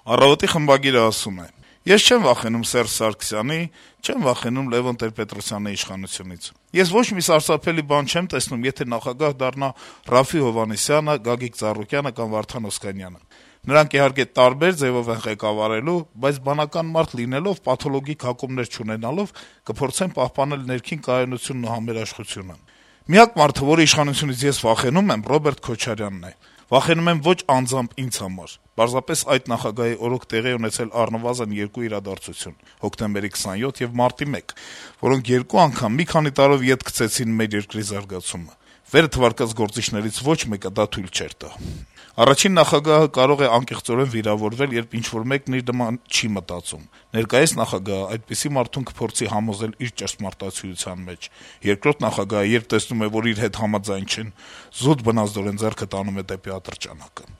Առավոտի խմբագիրը ասում է. «Ես չեմ վախենում Սերժ Սարգսյանի, չեմ վախենում Լևոն Տեր-Պետրոսյանի իշխանությունից։ Ես ոչ մի սարսափելի բան չեմ տեսնում, եթե նախագահ դառնա Րաֆֆի Հովհաննիսյանը, Գագիկ Ծառուկյանը կամ Վարդան Օսկանյանը։ Նրանք իհարկե տարբեր ձեւով են ղեկավարելու, բայց բանական մարդ լինելով, պաթոլոգիկ հակումներ չունենալով, կփորձեն պահպանել ներքին կայունությունն ու համերաշխությունը։ Միակ մարդը, որի իշխանությունից ես վախենում եմ, Ռոբերտ Քոչարյանն է։ Վախենում եմ ոչ անձամբ ինձ համար։ Պարզապես այդ նախագահի օրոք տեղի ունեցել առնվազն երկու իրադարձություն՝ հոկտեմբերի 27 եւ մարտի 1, որոնք երկու անգամ մի քանի տարով ետ գցեցին մեր երկրի զարգացումը։ Վերը թվարկած գործիչներից ոչ մեկը դա թույլ չէր տա։ Առաջին նախագահը կարող է անկեղծորեն վիրավորվել, երբ ինչ-որ մեկն իր նման չի մտածում։ Ներկայիս նախագահը այդպիսի մարդուն կփորձի համոզել իր ճշմարտացիության մեջ։ Երկրորդ նախագահը, երբ տեսնում է, որ իր հետ համաձայն չեն, զուտ բնազդորեն ձեռքը տանում է դեպի ատրճանակը»։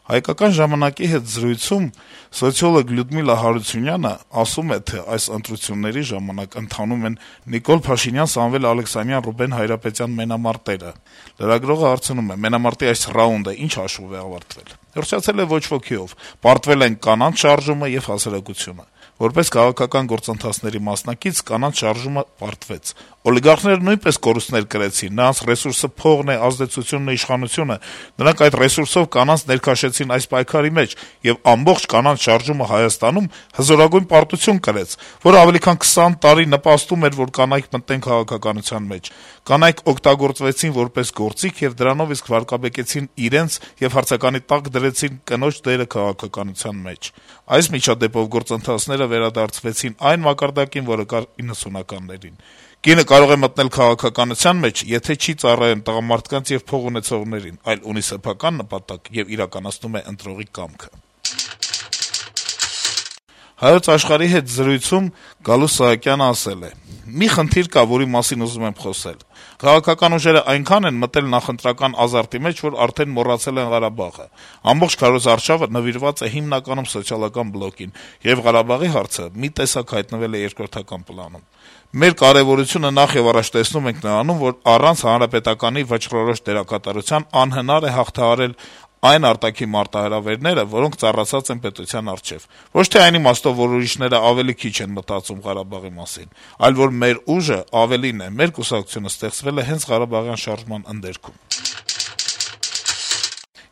«Հայկական ժամանակ»-ի հետ զրույցում սոցիոլոգ Լյուդմիլա Հարությունյանը ասում է, թե այս ընտրությունների ժամանակ ընթանում են Նիկոլ Փաշինյան, Սամվել Ալեքսանյան, Ռուբեն Հայրապետյան մենամարտերը։ Լրագրողը հարցնում է. մենամարտի այս ռաունդը ինչ հաշվով է ավարտվել։ Հռչացել է ոչ ոքիով, պարտվել են կանանց շարժումը եւ հասարակությունը։ Որպես քաղաքական գործընթացների մասնակից կանանց շարժումը պարտվեց։ Օլիգարխները նույնպես կորուստներ կրեցին, նրանց ռեսուրսը փողն է, ազդեցությունն է, իշխանությունը, նրանք այդ ռեսուրսով կանանց ներքաշեցին այս պայքարի մեջ եւ ամբողջ կանանց շարժումը Հայաստանում հզորագույն պարտություն կրեց, որը ավելի քան 20 տարի նպաստում էր, որ կանայք մտնեն քաղաքականության մեջ։ Կանայք օգտագործվեցին որպես գործիք եւ դրանով իսկ վարկաբեկեցին իրենց եւ հարցականի տակ դրեցին կնոջ դերը քաղաքականության մեջ։ Այս միջադեպով գործընթացները վերադարձվեցին այն մակարդակին, որը կար 90-ականներին։ Կինը կարող է մտնել քաղաքականության մեջ, եթե չի ծառայում տղամարդկանց եւ փող ունեցողներին, այլ ունի սեփական նպատակ եւ իրականացնում է ընտրողի կամքը»։ «Հայոց Աշխարհ»-ի հետ զրույցում Գալուստ Սահակյանը ասել է. «Մի խնդիր կա, որի մասին ուզում եմ խոսել։ Քաղաքական ուժերը այնքան են մտել նախընտրական ազարտի մեջ, որ արդեն մոռացել են Ղարաբաղը։ Ամբողջ քարոզարշավը նվիրված է հիմնականում սոցիալական բլոկին, եւ Ղարաբաղի հարցը մի տեսակ հայտնվել է երկրորդական պլանում։ Մեր կարեւորությունը նախ եւ առաջ տեսնում ենք նրանում, որ առանց հանրապետականի վճռորոշ դերակատարության անհնար է հաղթահարել այն արտաքին մարտահրավերները, որոնք ծառացած են պետության առջեւ։ Ոչ թե այն իմաստով, որ ուրիշները ավելի քիչ են մտածում Ղարաբաղի մասին, այլ որ մեր ուժը ավելին է, մեր կուսակցությունը ստեղծվել է հենց Ղարաբաղյան շարժման ընդերքում»։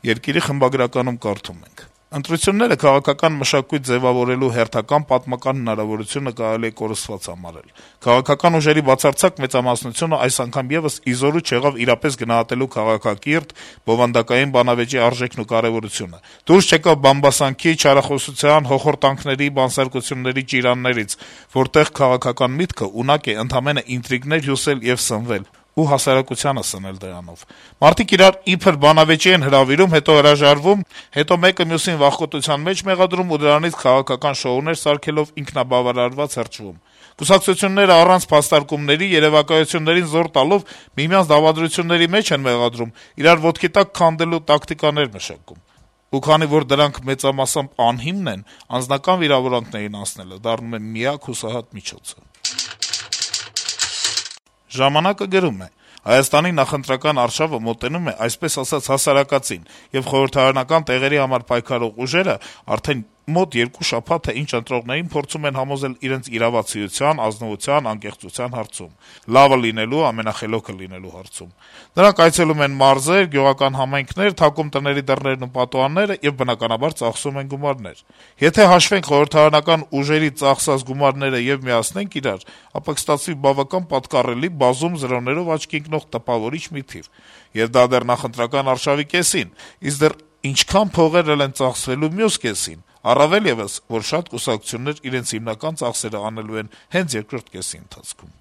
Երկիրի խմբագրականում կարդում ենք. «Ընտրությունները քաղաքական մշակույթ ձեւավորելու հերթական պատմական հնարավորությունը կարելի է կորսված համարել։ Քաղաքական ուժերի բացարձակ մեծամասնությունը այս անգամ եւս իզորու չեղավ իրապես գնահատելու քաղաքակիրթ, բովանդակային բանավեճի արժեքն ու կարեւորությունը։ Դուրս չեկավ բամբասանքի, չարախոսության, հոխորտանքների, բանսարկությունների ճիրաններից, որտեղ քաղաքական միտքը ունակ է ընդամենը ինտրիգներ հյուսել եւ սնվել ու հասարակությանը սնել դրանով։ Մարդիկ իրար իբր բանավեճի են հրավիրում, հետո հրաժարվում, հետո մեկը մյուսին վախկոտության մեջ մեղադրում ու դրանից քաղաքական շոուներ սարքելով ինքնաբավարարված հրճվում։ Կուսակցությունները առանց փաստարկումների, երևակայություններին զոր տալով միմյանց դավադրությունների մեջ են մեղադրում, իրար ոտքի տակ քանդելու տակտիկաներ մշակում։ Ու քանի որ դրանք մեծամասամբ անհիմն են, անձնական վիրավորանքներին անցնելը դառնում է միակ հուսահատ միջոցը»։ «Ժամանակ»-ը գրում է. «Հայաստանի նախընտրական արշավը մոտենում է, այսպես ասած, հասարակածին, եւ խորհրդարանական տեղերի համար պայքարող ուժերը արդեն մոտ 2 շաբաթ է ինչ ընտրողներին փորձում են համոզել իրենց իրավացիության, ազնվության, անկեղծության հարցում, լավը լինելու, ամենախելոքը լինելու հարցում։ Նրանք այցելում են մարզեր, գյուղական համայնքներ, թակում տների դռներն ու պատուհանները եւ բնականաբար ծախսում են գումարներ։ Եթե հաշվենք խորհրդարանական ուժերի ծախսած գումարները եւ միացնենք իրար, ապա կստացվի բավական պատկառելի, բազում զրոներով աչքի ընկնող տպավորիչ մի թիվ։ Եվ դա դեռ նախընտրական արշավի կեսին, իսկ դեռ ինչքան փողեր են ծախսվելու մյուս կեսին։ Առավել եւս, որ շատ կուսակցություններ իրենց հիմնական ծախսերը անելու են հենց երկրորդ կեսի ընթացքում»։